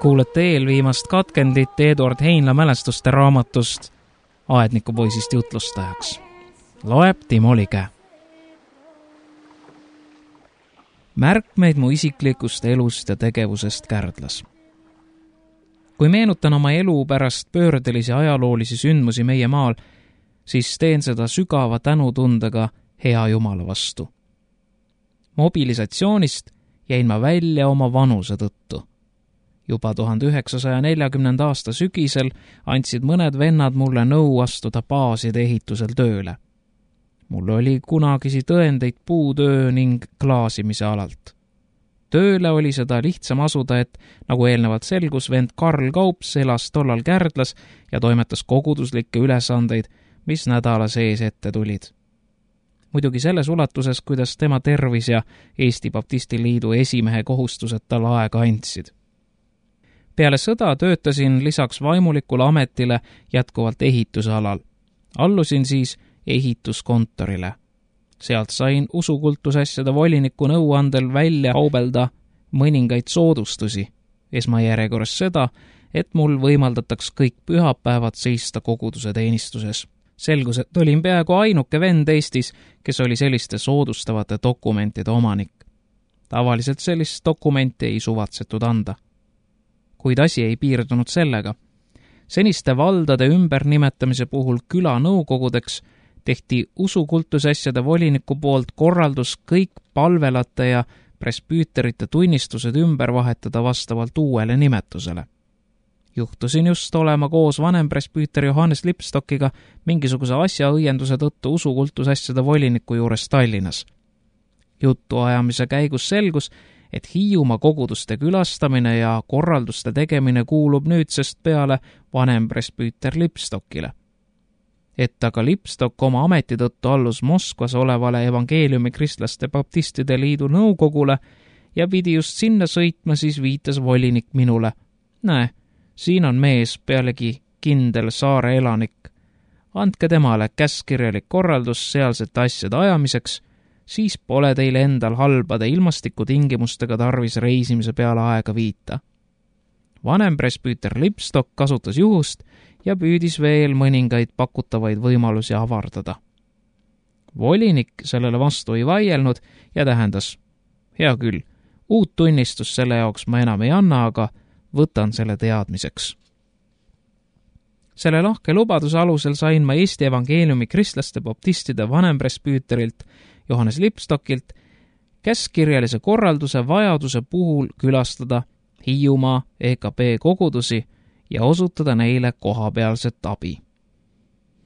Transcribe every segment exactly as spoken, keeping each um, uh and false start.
Kuulete eelviimast katkendit Eduard Heinla mälestuste raamatust Aednikupoisist jutlustajaks. Loeb Timo Lige. Märkmeid mu isiklikust elust ja tegevusest Kärdlas. Kui meenutan oma elu pärast pöördelisi ajaloolisi sündmusi meie maal, siis teen seda sügava tänutundega hea Jumala vastu. Mobilisatsioonist jäin ma välja oma vanuse tõttu. Juba tuhande üheksasaja neljakümnenda aasta sügisel andsid mõned vennad mulle nõu astuda baaside ehitusel tööle. Mul oli kunagisi tõendeid puutöö ning klaasimise alalt. Tööle oli seda lihtsam asuda, et nagu eelnevalt selgus, vend Karl Kaups elas tollal Kärdlas ja toimetas koguduslikke ülesandeid, mis nädala sees ette tulid. Muidugi selles ulatuses, kuidas tema tervis ja Eesti Baptistiliidu esimehe kohustused tal aega andsid. Peale sõda töötasin lisaks vaimulikule ametile jätkuvalt ehitusalal. Allusin siis ehituskontorile. Sealt sain usukultusasjade voliniku nõuandel välja kaubelda mõningaid soodustusi. Esmajärjekorras seda, et mul võimaldataks kõik pühapäevad seista koguduse teenistuses. Selgus, et olin peaaegu ainuke vend Eestis, kes oli selliste soodustavate dokumentide omanik. Tavaliselt sellist dokumenti ei suvatsetud anda. Kuid asi ei piirdunud sellega. Seniste valdade ümbernimetamise puhul küla nõukogudeks tehti usukultusasjade voliniku poolt korraldus kõik palvelate ja presbüüterite tunnistused ümber vahetada vastavalt uuele nimetusele. Juhtusin just olema koos vanem presbüüter Johannes Lipstockiga mingisuguse asjaõienduse tõttu usukultusasjade voliniku juures Tallinnas. Jutuajamise käigus selgus, et Hiiumaa koguduste külastamine ja korralduste tegemine kuulub nüüdsest peale vanem presbüüter Lipstockile. Et aga Lipstock oma ameti tõttu allus Moskvas olevale evangeeliumi kristlaste baptistide liidu nõukogule ja pidi just sinna sõitma, siis viitas volinik minule. Näe, siin on mees pealegi kindel saare elanik. Andke temale käskkirjalik korraldus sealsete asjade ajamiseks, siis pole teil endal halbade ilmastikutingimustega tarvis reisimise peale aega viita. Vanem presbüüter Lipstock kasutas juhust ja püüdis veel mõningaid pakutavaid võimalusi avardada. Volinik sellele vastu ei vaielnud ja tähendas, hea küll, uut tunnistust selle jaoks ma enam ei anna, aga võtan selle teadmiseks. Selle lahke lubaduse alusel sain ma Eesti evangeeliumi kristlaste baptistide vanem presbüüterilt Johannes Lipstockilt käskkirjalise korralduse vajaduse puhul külastada Hiiumaa E K P kogudusi ja osutada neile kohapealset abi.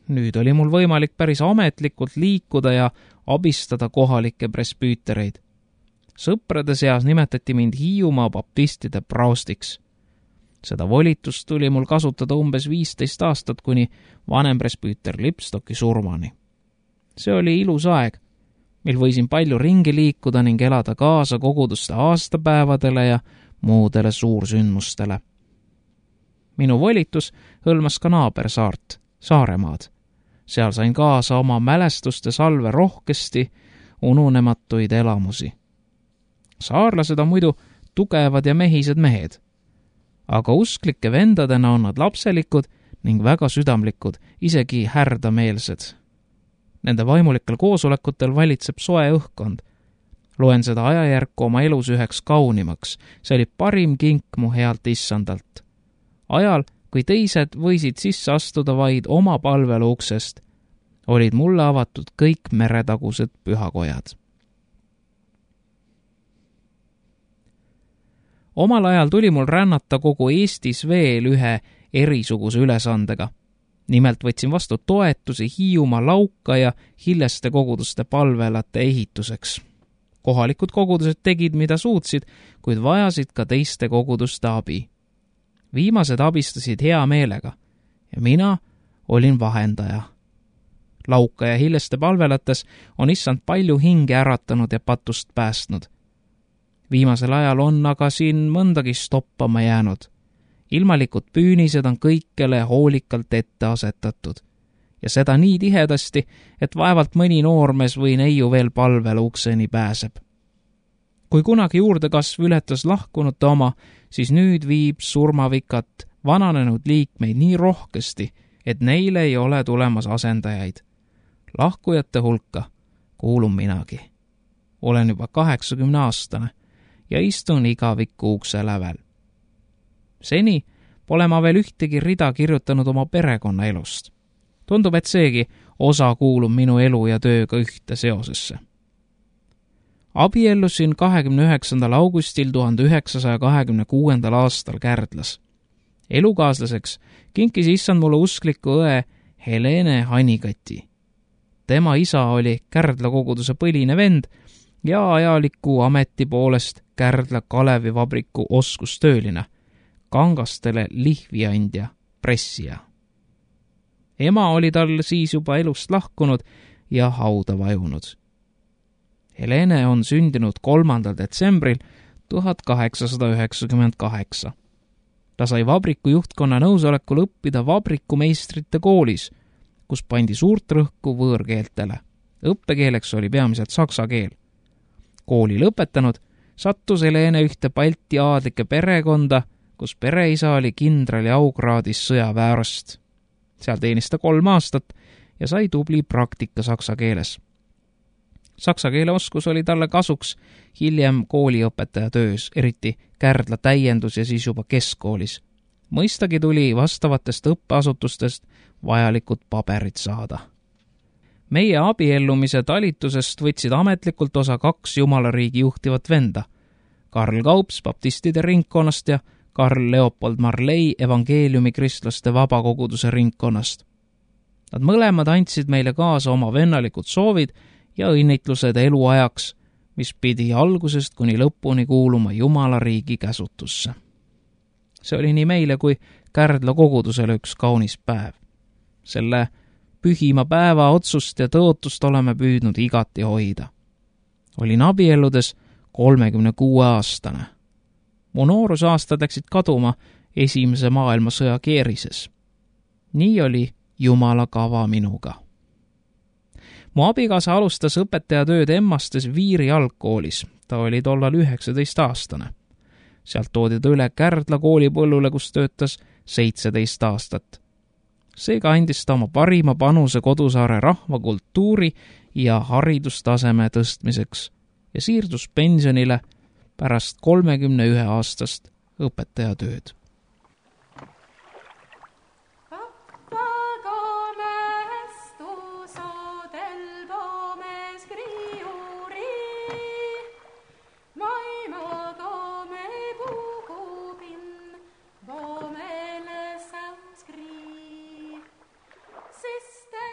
Nüüd oli mul võimalik päris ametlikult liikuda ja abistada kohalikke presbüütereid. Sõprade seas nimetati mind Hiiumaa baptistide praostiks. Seda volitust tuli mul kasutada umbes viisteist aastat kuni vanem presbüüter Lipstocki surmani. See oli ilus aeg, mil võisin palju ringi liikuda ning elada kaasa koguduste aastapäevadele ja muudele suursündmustele. Minu volitus hõlmas ka naabersaart, Saaremaad. Seal sain kaasa oma mälestuste salve rohkesti ununematuid elamusi. Saarlased on muidu tugevad ja mehised mehed, aga usklike vendadena on nad lapselikud ning väga südamlikud, isegi härdameelsed. Nende vaimulikel koosolekutel valitseb soe õhkkond. Loen seda ajajärku oma elus üheks kaunimaks. See oli parim kink mu healt issandalt. Ajal, kui teised võisid sisse astuda vaid oma palvelu uksest, olid mulle avatud kõik meretagused pühakojad. Omal ajal tuli mul rännata kogu Eestis veel ühe erisuguse ülesandega. Nimelt võtsin vastu toetusi Hiiumaa Lauka ja Hilleste koguduste palvelate ehituseks. Kohalikud kogudused tegid, mida suutsid, kuid vajasid ka teiste koguduste abi. Viimased abistasid hea meelega ja mina olin vahendaja. Lauka ja Hilleste palvelates on issand palju hinge äratanud ja patust päästnud. Viimasel ajal on aga siin mõndagi stoppama jäänud. Ilmalikud püünised on kõikele hoolikalt ette asetatud ja seda nii tihedasti, et vaevalt mõni noormees või neiu veel palvel ukseni pääseb. Kui kunagi juurdekasv ületas lahkunute oma, siis nüüd viib surmavikat vananenud liikmeid nii rohkesti, et neile ei ole tulemas asendajaid. Lahkujate hulka kuulun minagi. Olen juba kaheksakümne aastane ja istun igaviku ukse lävel. Seni pole ma veel ühtegi rida kirjutanud oma perekonna elust. Tundub, et seegi osa kuulub minu elu ja tööga ühte seosesse. Abiellusin kahekümne üheksandal augustil tuhande üheksasaja kahekümne kuuendal aastal Kärdlas. Elukaaslaseks kinkis issand mulle uskliku õe Helene Hanikati. Tema isa oli Kärdla koguduse põline vend ja ajaliku ameti poolest Kärdla Kalevivabriku oskustööline, kangastele lihviandja, pressija. Ema oli tal siis juba elust lahkunud ja hauda vajunud. Helene on sündinud kolmandal detsembril tuhat kaheksasada üheksakümmend kaheksa. Ta sai vabriku juhtkonna nõusolekul õppida vabrikumeistrite koolis, kus pandi suurt rõhku võõrkeeltele. Õppekeeleks oli peamiselt saksa keel. Kooli lõpetanud sattus Helene ühte Balti aadlike perekonda, kus pereisa oli kindrali aukraadis sõjaväearst. Seal teenis ta kolm aastat ja sai tubli praktika saksa keeles. Saksa keele oskus oli talle kasuks hiljem kooliõpetaja töös, eriti Kärdla täiendus ja siis juba keskkoolis. Mõistagi tuli vastavatest õppeasutustest vajalikud paberid saada. Meie abiellumise talitusest võtsid ametlikult osa kaks Jumalariigi juhtivat venda, Karl Kaups baptistide ringkonnast ja Karl Leopold Marley evangeeliumi kristlaste vabakoguduse ringkonnast. Nad mõlemad andsid meile kaasa oma vennalikud soovid ja õnnitlused eluajaks, mis pidi algusest kuni lõpuni kuuluma Jumala riigi käsutusse. See oli nii meile kui Kärdla kogudusele üks kaunis päev. Selle pühima päeva otsust ja tõotust oleme püüdnud igati hoida. Olin abielludes kolmekümne kuue aastane. Mu noorusaastad läksid kaduma esimese maailmasõja keerises. Nii oli Jumala kava minuga. Mu abikaasa alustas õpetajatööd Emmastes Viiri algkoolis. Ta oli tollal üheksateist aastane. Sealt toodi ta üle Kärdla koolipõllule, kus töötas seitseteist aastat. Seega andis ta oma parima panuse kodusaare rahvakultuuri ja haridustaseme tõstmiseks ja siirdus pensionile pärast kolmekümne ühe aastast õpetajatööd.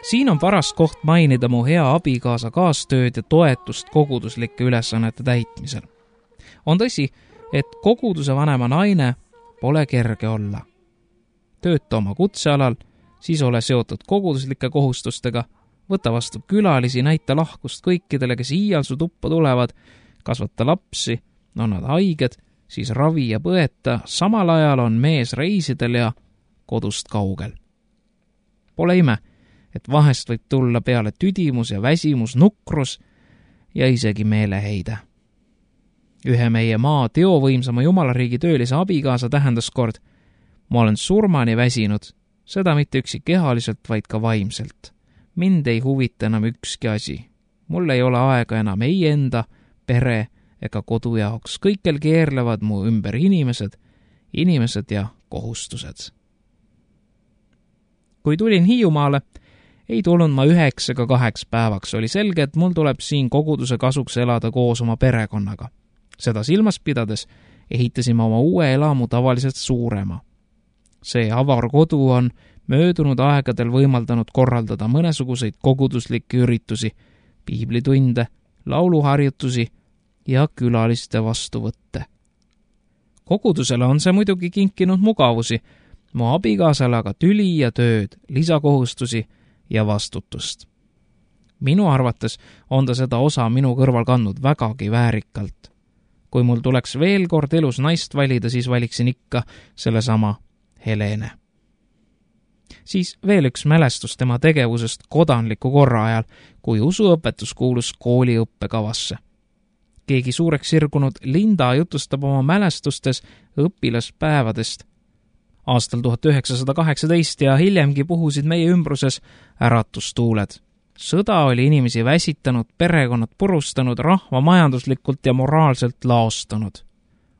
Siin on paras koht mainida mu hea abikaasa kaastööd ja toetust koguduslike ülesannete täitmisel. On tõsi, et koguduse vanema naine pole kerge olla. Tööta oma kutsealal, siis ole seotud koguduslike kohustustega, võta vastu külalisi, näita lahkust kõikidele, kes iial su tuppa tulevad, kasvata lapsi, on nad haiged, siis ravi ja põeta, samal ajal on mees reisidel ja kodust kaugel. Pole ime, et vahest võib tulla peale tüdimus ja väsimus, nukrus ja isegi meeleheide. Ühe meie maa teovõimsama Jumalariigi töölise abikaasa tähendas kord: ma olen surmani väsinud, seda mitte üksi kehaliselt, vaid ka vaimselt. Mind ei huvita enam ükski asi. Mul ei ole aega enam ei enda, pere ega kodu jaoks. Kõikjal keerlevad mu ümber inimesed, inimesed ja kohustused. Kui tulin Hiiumaale, ei tulnud ma üheks ega kaheks päevaks. Oli selge, et mul tuleb siin koguduse kasuks elada koos oma perekonnaga. Seda silmas pidades ehitasime oma uue elamu tavaliselt suurema. See avar kodu on möödunud aegadel võimaldanud korraldada mõnesuguseid koguduslikke üritusi, piiblitunde, lauluharjutusi ja külaliste vastuvõtte. Kogudusele on see muidugi kinkinud mugavusi, mu abikaasale aga tüli ja tööd, lisakohustusi ja vastutust. Minu arvates on ta seda osa minu kõrval kandnud vägagi väärikalt. Kui mul tuleks veel kord elus naist valida, siis valiksin ikka sellesama Helene. siis veel üks mälestus tema tegevusest kodanliku korra ajal, kui usuõpetus kuulus kooli õppekavasse. Keegi suureks sirgunud Linda jutustab oma mälestustes õpilaspäevadest. Aastal tuhat üheksasada kaheksateist ja hiljemgi puhusid meie ümbruses äratustuuled. Sõda oli inimesi väsitanud, perekonnad purustanud, rahva majanduslikult ja moraalselt laostanud.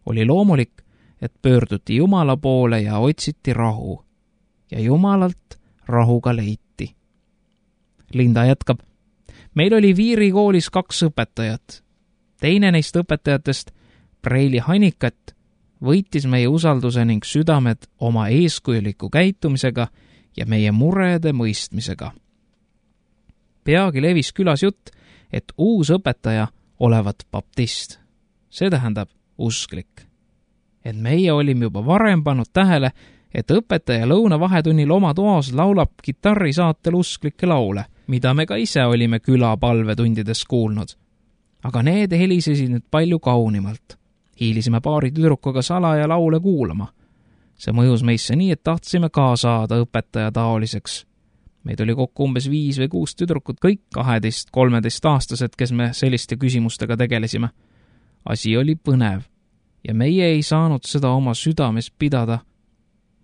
Oli loomulik, et pöörduti Jumala poole ja otsiti rahu. Ja Jumalalt rahuga leiti. Linda jätkab. Meil oli Viiri koolis kaks õpetajat. Teine neist õpetajatest, Preili Hanikat, võitis meie usalduse ning südamed oma eeskujuliku käitumisega ja meie murede mõistmisega. Peagi levis külas jutt, et uus õpetaja olevat baptist. See tähendab usklik. Et meie olime juba varem pannud tähele, et õpetaja lõuna vahetunnil oma toas laulab kitarrisaatel usklikke laule, mida me ka ise olime küla palvetundides kuulnud. Aga need helisesid nüüd palju kaunimalt. Hiilisime paari tüdrukuga salaja laule kuulama. See mõjus meisse nii, et tahtsime ka saada õpetaja taoliseks. Meid oli kokku umbes viis või kuus tüdrukut, kõik kaheteist kolmeteist aastased, kes me selliste küsimustega tegelesime. Asi oli põnev ja meie ei saanud seda oma südames pidada,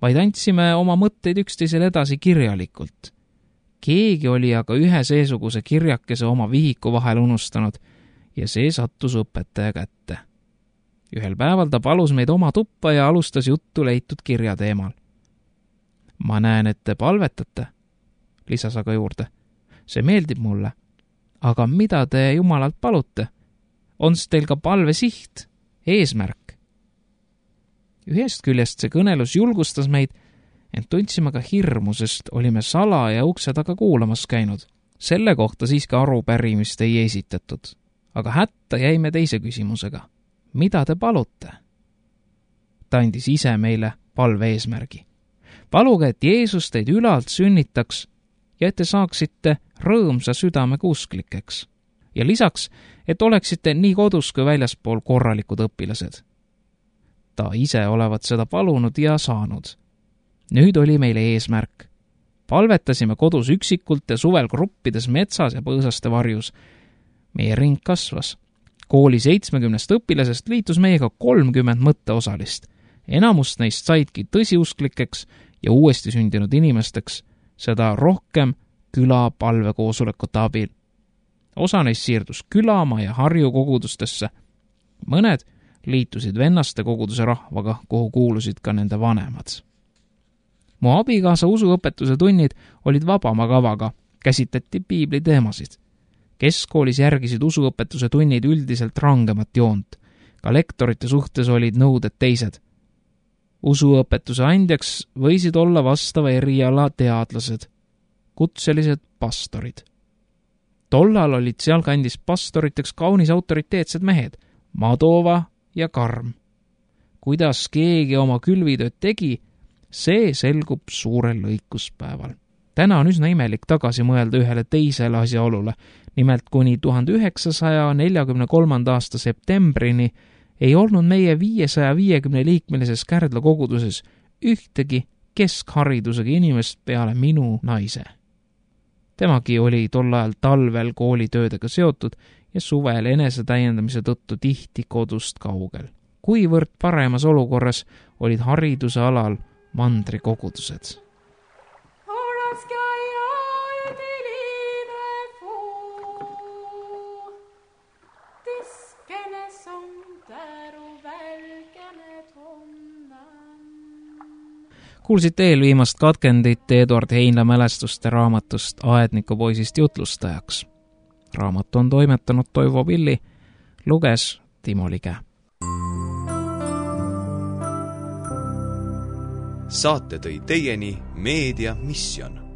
vaid andsime oma mõtteid üksteisele edasi kirjalikult. Keegi oli aga ühe seesuguse kirjakese oma vihiku vahel unustanud ja see sattus õpetaja kätte. Ühel päeval ta palus meid oma tuppa ja alustas juttu leitud kirja teemal. Ma näen, et te palvetate, lisas aga juurde. See meeldib mulle. Aga mida te Jumalalt palute? On teil ka palve siht, eesmärk? Ühest küljest see kõnelus julgustas meid, ent tundsime ka hirmu, sest olime sala ja ukse taga kuulamas käinud. Selle kohta siiski arupärimist ei esitatud. Aga hätta jäime teise küsimusega. Mida te palute? Ta andis ise meile palve eesmärgi. Paluge, et Jeesus teid ülalt sünnitaks ja et te saaksite rõõmsa südamega usklikeks. Ja lisaks, et oleksite nii kodus kui väljaspool korralikud õpilased. Ta ise olevat seda palunud ja saanud. Nüüd oli meile eesmärk. Palvetasime kodus üksikult ja suvel gruppides metsas ja põõsaste varjus. Meie ring kasvas. Kooli seitsmekümnest õpilasest liitus meiega kolmkümmend mõtteosalist. Enamust neist saidki tõsiusklikeks ja uuesti sündinud inimesteks, seda rohkem küla palvekoosolekute abil. Osa neist siirdus Külamaa ja Harju kogudustesse. Mõned liitusid vennaste koguduse rahvaga, kuhu kuulusid ka nende vanemad. Mu abikaasa usuõpetuse tunnid olid vabama kavaga, käsitleti piibli teemasid. Keskkoolis järgisid usuõpetuse tunnid üldiselt rangemat joont. Ka lektorite suhtes olid nõuded teised. Usuõpetuse andjaks võisid olla vastava eriala teadlased, kutselised pastorid. Tollal olid sealkandis pastoriteks kaunis autoriteetsed mehed, Madova ja Karm. Kuidas keegi oma külvitööd tegi, see selgub suurel lõikuspäeval. Täna on üsna imelik tagasi mõelda ühele teisele asjaolule. Nimelt kuni tuhande üheksasaja neljakümne kolmanda aasta septembrini ei olnud meie viiesaja viiekümne liikmelises Kärdla koguduses ühtegi keskharidusega inimest peale minu naise. Temagi oli tol ajal talvel koolitöödega seotud ja suvel enese täiendamise tõttu tihti kodust kaugel. Kuivõrd paremas olukorras olid hariduse alal mandrikogudused. Kuulsite eelviimast katkendit Eduard Heinla mälestuste raamatust Aednikupoisist jutlustajaks. Raamat on toimetanud Toivo Pilli, luges Timo Lige. Saate tõi teieni Meedia Mission.